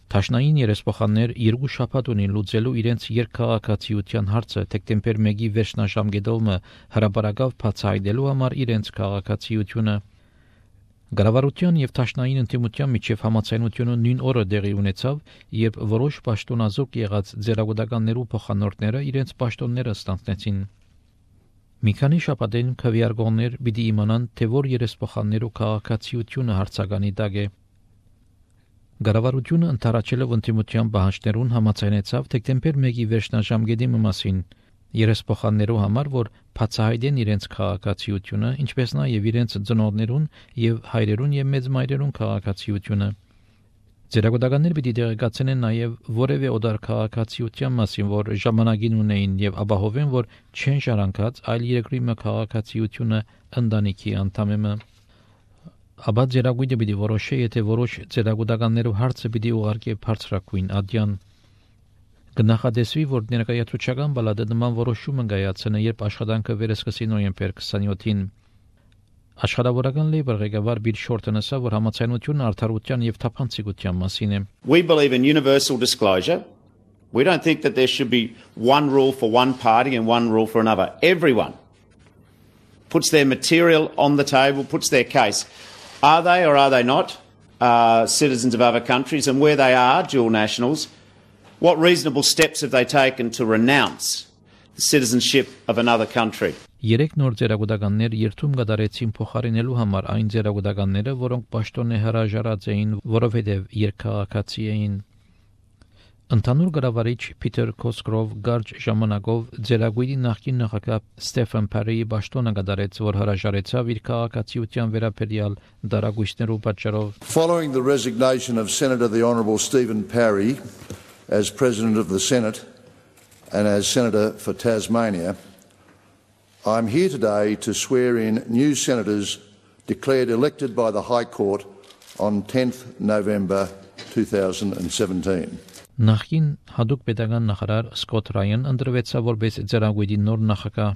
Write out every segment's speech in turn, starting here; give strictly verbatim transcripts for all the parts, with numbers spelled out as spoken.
Թաշնային երեսփոխաններ երկու շաբաթ ունին լուծելու իրենց երկքաղաքացիության հարցը դեկտեմբեր մեկի վերջնաժամկետով հրապարակավ բացահայտելու համար իրենց քաղաքացիությունը։ Գարավարության եւ Թաշնային ընդդիմության միջև համաձայնությունը նույն օրը դեղի ունեցավ, երբ որոշ պաշտոնազուրկ եղած ձեռագուտականներու փոխանորդները իրենց պաշտոնները ստանձնեցին։ Մի քանի շաբաթեն քվեարկողներ պիտի իմանան, թե որ երեսփոխաններու քաղաքացիությունը հարցականի տակ է։ Գարավարությունը ընդառաջելով ընդդիմության պահանջներուն համաձայնեցավ դեկտեմբեր մեկի վերջնաժամկետի մասին երեսփոխաններու համար, որ բացահայտեն իրենց քաղաքացիությունը, ինչպես նաև իրենց ծնողներուն եւ հայրերուն եւ մեծմայրերուն քաղաքացիությունը։ Ձերագուտականներ պիտի տեղեկացնեն նաև որևէ օտար քաղաքացիության մասին, որ ժամանակին ունեին եւ ապահովեն, որ չեն ժառանգած այլ երկրի քաղաքացիությունը ընտանիքի անդամը։ Աբա ձերագույտը պիտի որոշե, եթե որոշ ձերագուտականներու հարցը պիտի ուղարկի բարձրակույն ադյան։ Կնախադեсվի, որ ներկայացուցչական բալադը նման որոշումը կայացնի, երբ աշխատանքը վերսկսի նոյեմբեր քսանյոթին։ Աշխատավորական լեյբր ղեկավար Բիլ Շորտոնը ասա, որ համաձայնությունը արդարության եւ թափանցիկության մասին է։ We believe in universal disclosure. We don't think that there should be one rule for one party and one rule for another. Everyone puts their material on the table, puts their case. Are they or are they not uh, citizens of other countries? And where they are dual nationals, what reasonable steps have they taken to renounce the citizenship of another country? Երեք նոր ձերագուտականներ երթում կատարեցին փոխարինելու համար այն ձերագուտականները, որոնք պաշտոնե հրաժարած էին, որովհետև երկքաղաքացի էին։ Ընդհանուր գրավարիչ Փիթեր Քոսկրով գարջ ժամանակով ձերագույտի նախկին նախագահ Ստեֆեն Փարիի պաշտոնը կատարեց, որ հրաժարեցավ իր քաղաքացիության վերաբերյալ դարագույցներու պատճառով։ Following the resignation of Senator the Honourable Stephen Parry as President of the Senate and as Senator for Tasmania, I am here today to swear in new senators declared elected by the High Court on tenth November two thousand seventeen. Նախին հadoop pedagogan նախարար Սկոթ Ռայան ընտրվեցավ որպես ձեռագույտի նոր նախագահ։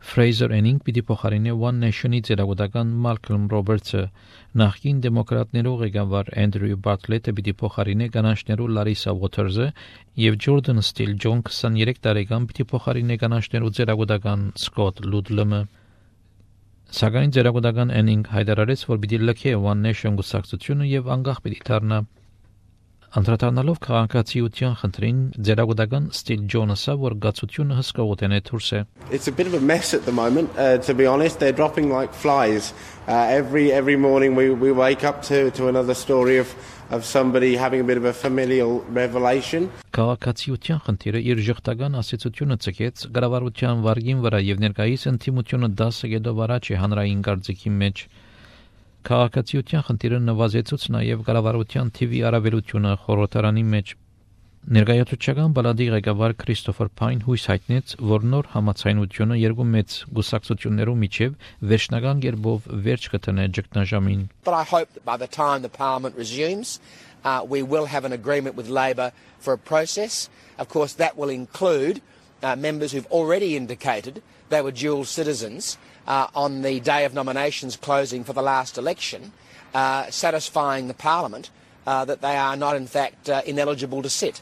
Ֆրեյզեր Էնինգ պիտի փոխարինի One Nation-ի ձեռագուտական Մալքոմ Ռոբերտսը, նախկին դեմոկրատներու ղեկավար Էնդրյու Բարտլետը պիտի փոխարինի կանանչներու Լարիսա Ուոթերսը եւ Ջորդան Ստիլ Ջոն քսաներեք տարեկան պիտի փոխարինի կանանչներու ձեռագուտական Սկոթ Լուդլումը։ Սակայն ձեռագուտական Էնինգ հայտարարեց, որ պիտի լքե One Nation գուսակցությունը եւ անկախ պիտի դառնա։ Անդրադառնալով քաղաքացիության խնդրին, ձեռագուտական Ստիլ Ջոնը ասա, որ գացությունը հսկողותեն է դուրս է։ It's a bit of a mess at the moment, uh, to be honest. They're dropping like flies. Uh, every every morning we, we wake up to, to another story of, of somebody having a bit of a familial revelation. Քաղաքացիության խնդիրը իր ժխտական ասացությունը ցկեց գրավարության վարգին վրա եւ ներկայիս ընդդիմությունը դասը գետով առաջ է հանրային կարծիքի մեջ։ Քաղաքացիության խնդիրը նվազեցուց նաև կառավարության թիվի առավելությունը խորհրդարանի մեջ։ Ներկայացուցչական բալադի ղեկավար Քրիստոֆեր Փայն հույս հայտնեց, որ նոր համաձայնությունը երկու մեծ գուսակցություններու միջև վերջնական կերպով վերջ կտնե ճգնաժամին։ But I hope that by the time the Parliament resumes, uh, we will have an agreement with Labor for a process. Of course, that will include uh, members who've already indicated they were dual citizens Uh, on the day of nominations closing for the last election, uh, satisfying the Parliament uh, that they are not in fact uh, ineligible to sit.